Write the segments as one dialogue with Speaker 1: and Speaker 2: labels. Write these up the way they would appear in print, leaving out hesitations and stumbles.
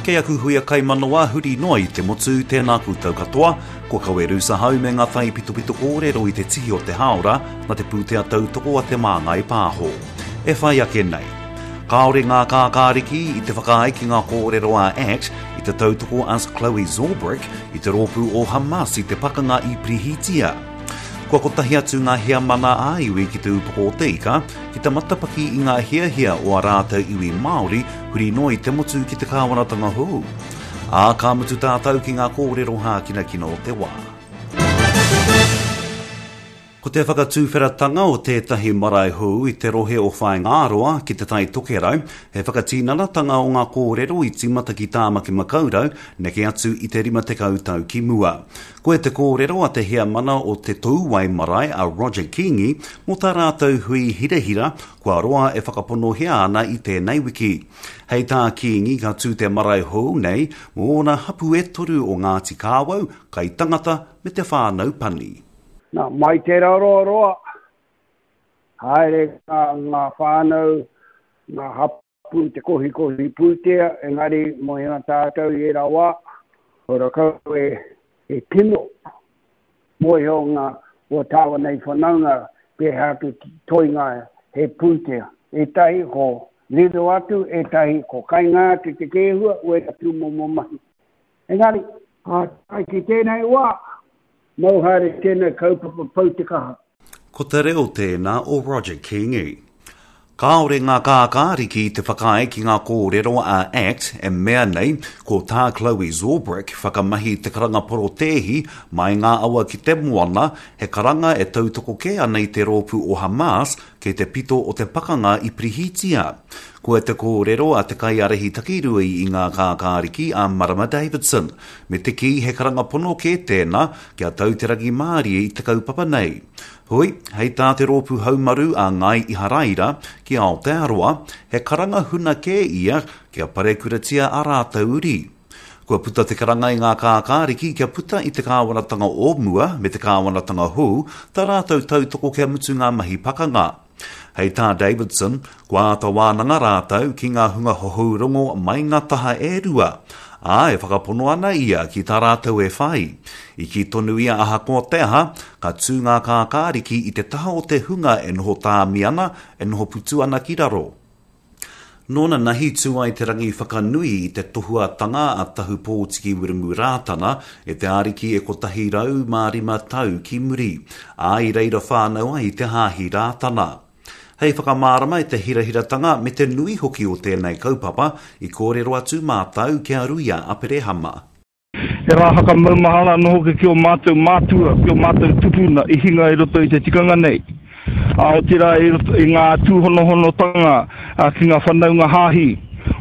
Speaker 1: Kei aku huia kaimanawa huri noa i te motu, tēnā koutou katoa, kua kawe Rusa Hau me ngā taipitopito kōrero i te tihi o te hāora nā te pūtea tautoko a Te Māngai Pāho. E whai ake nei. Kāore ngā kākāriki i te whakaae ki ngā kōrero a act i te tautoko a Chloe Zorbrick i te rōpū o Hamas i te pakanga i Pirihitia. Kua kotahi atu ngā heamana ā-iwi ki Te Ūpoko o te Ika ki te matapaki i ngā hiahia o ā rātou iwi Māori huri noa i te motu ki te kāwanatanga hou. Ā, ka mutu tātou ki ngā kōrero hākinakina o te wā. Ko te whakatuwheratanga o tētahi marae hou i te rohe o Whaingāroa ki Te Tai Tokerau, he whakatinanatanga o ngā kōrero i tīmata ki Tāmaki Makaurau neke atu i te 50 tau ki mua. Koe te kōrero a te heamana o Te Touwai Marae a Roger Kingi mō tā rātou hui hirahira kua roa e whakaponohia ana i tēnei wiki. Hei tā Kingi ka tū te marae hou nei mō ōna hapu e toru o Ngāti Kāwau, Kaitangata me te whānau Pani.
Speaker 2: Nā, mai tērā roa roa, haere ngā, ngā whānau, ngā hapū, Pū te kohikohi pūtea, engari mō ēnā tātou i ērā wā, ora kau e, e tino mōhio ngā o tāua nei whanaunga pēhea atu toinga he pūtea. Ētahi ko riro atu, ētahi ko kainga atu te kēhua, wērā tūmomo mahi. Engari, ā, tae ki tēnei wā, mau haere tēnei kaupapa pau te kaha.
Speaker 1: Ko te reo tēnā o Roger Kingi. Kāore ngā kākāriki i te whakaae ki ngā kōrero a act e mea nei ko tā Chloe Zorbrick whakamahi i te karanga porotēhi mai ngā awa ki te moana, he karanga e tautoko kē ana i te rōpū o Hamas kei te pito o te pakanga i Pirihitia. Koa te kōrero a te kaiārahi takirua i ngā kākāriki a Marama Davidson, me te kī he karanga pono kē tēnā kia tau te rangimārie i te kaupapa nei. Hoi, hei tā te Rōpū Haumaru a Ngāi Iharaira ki Aotearoa, he karanga huna kē ia kia parekuratia ā rātou uri. Kua puta te karanga i ngā kākāriki kia puta i te kāwanatanga o mua me te kāwanatanga hou tā rātou tautoko kia mutu ngā mahi pakanga. Hei tā Davidson, kua āta wānanga rātou ki ngā hunga hohou rongo mai ngā taha e rua, ā, e whakapono ana ia ki tā rātou e whai. I kī tonu ia ahakoa te aha, ka tū ngā kākāriki i te taha o te hunga e noho tāmi ana, e noho putu ana ki raro. Nōna nahi tū ai te rangi whakanui i te tohuatanga a Tahu Pōtiki Wiremu Rātana e te Ariki e 105 tau ki muri, ā, i reira whānau ai te Hāhi Rātana. Hei whakamārama i te hirahiratanga me te nui hoki o tēnei kaupapa, i kōrero atu mātou ki a Ruia Aperehama.
Speaker 3: He rā whakamaumahara anō hoki ki ō mātou mātua, ki ō mātou tupuna i hinga i roto i te tikanga nei. Ā, otirā i roto i ngā tūhonohonotanga ki ngā whanaunga hāhi,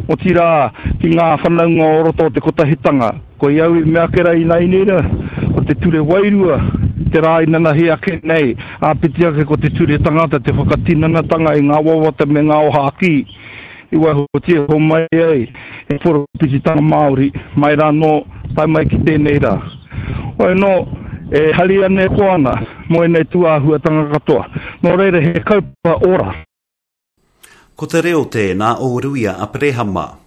Speaker 3: otirā ki ngā whanaunga o roto o te kotahitanga. Koia au i mea ake rā ināianei rā, ko te ture wairua te rā inanahi ake nei, āpiti ake ko te ture tangata te whakatinanatanga i ngā wawata me ngā ōhākī. I waihotia iho mai ai e poropititanga Māori mai rā anō tae mai ki tēnei rā. Hoi anō, e hari ana e koa ana mō ēnei tūāhuatanga katoa. Nō reira he kaupapa ora.
Speaker 1: Ko te reo tēnā o Ruia Aperehama.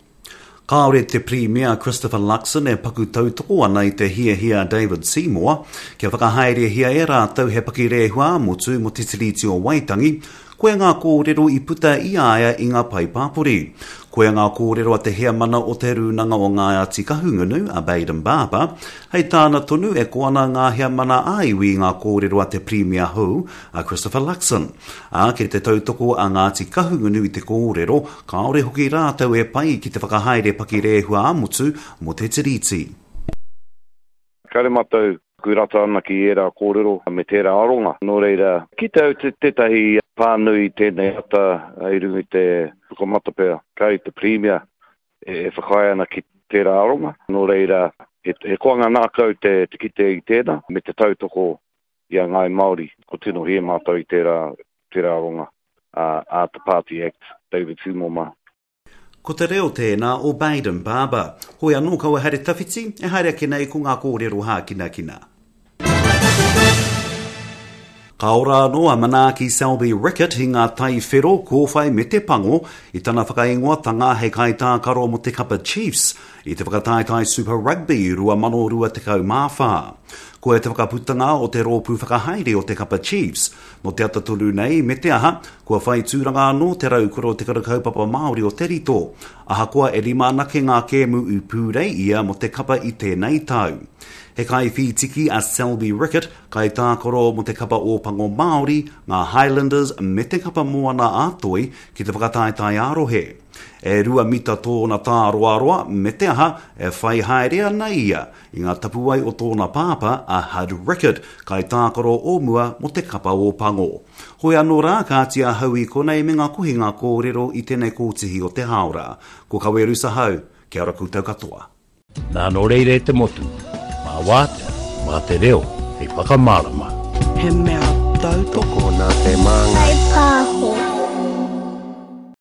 Speaker 1: Kāore te Pirimia Christopher Luxon e paku tautoko ana i te hiahia a David Seymour kia whakahaerehia e rātou he pakirehua ā-motu mō te Tiriti o Waitangi, Koia ngā kōrero i puta i a ia i ngā pae pāpori. Koia ngā kōrero a te heamana o Te Rūnanga o Ngāti Kahungunu, a Bayden Barber, hei tāna tonu e ko ana ngā heamana ā-iwi i ngā kōrero a te Pirimia hou, a Christopher Luxon. Ā, kei te tautoko a Ngāti Kahungunu i te kōrero, kāore hoki rātou e pai ki te whakahaere pakirehua ā-motu mō te Tiriti.
Speaker 4: Kāre mātou ku rata ana ki ērā kōrero me tērā aronga. Nō reira, kite au tētahi pānui i tēnei ata i runga i te pukamata pea, kāre te Pirimia e whakaae ana ki tērā aronga. Nō reira, he koanga ngākau te kite i tēnā me te tautoko i a Ngāi Māori. Ko tino hē mātou i tērā aronga a te Party Act, David Seymour mā.
Speaker 1: Ko te reo tēnā o Bayden Barber. Hoi anō kaua haere tawhiti, e haere ake nei ko ngā kōrero hākinakina. Ka ora anō a Manaaki Selby Rickit i ngā tai whero, kōwhai me te pango i tana whakaingoatanga hei kaitākaro mō te kapa Chiefs i te whakataetae Super Rugby 2024. Koia te whakaputanga o te rōpū whakahaere o te kapa Chiefs. Nō te ata tonu nei, me te aha, kua whai tūranga anō te raukura o Te Kura Kaupapa Māori o Te Rito, ahakoa e rima anake ngā kēmu i pūrei ia mō te kapa i tēnei tau. He kaiwhītiki a Selby Rickit, Kaitākaro mō te kapa Ōpango Māori, ngā Highlanders me te kapa Moana a Toi ki te whakataetae ā-rohe. E rua mita tōna tāroaroa, me te aha, e whai haere ana ia i ngā tapuwae o tōna pāpā a Hud Rickard, kaitākaro o mua mō te kapa Ōpango. Hoi anō rā, kāti ahau i konei me ngā kohinga kōrero i tēnei kōtihi o te hāora. Ko Kaweru Sahau, kia ora koutou katoa.
Speaker 5: Nā nō reira e te motu, mā wātea, mā te reo hei whakamārama.
Speaker 6: He mea tautoko.
Speaker 7: Tokona te māngai.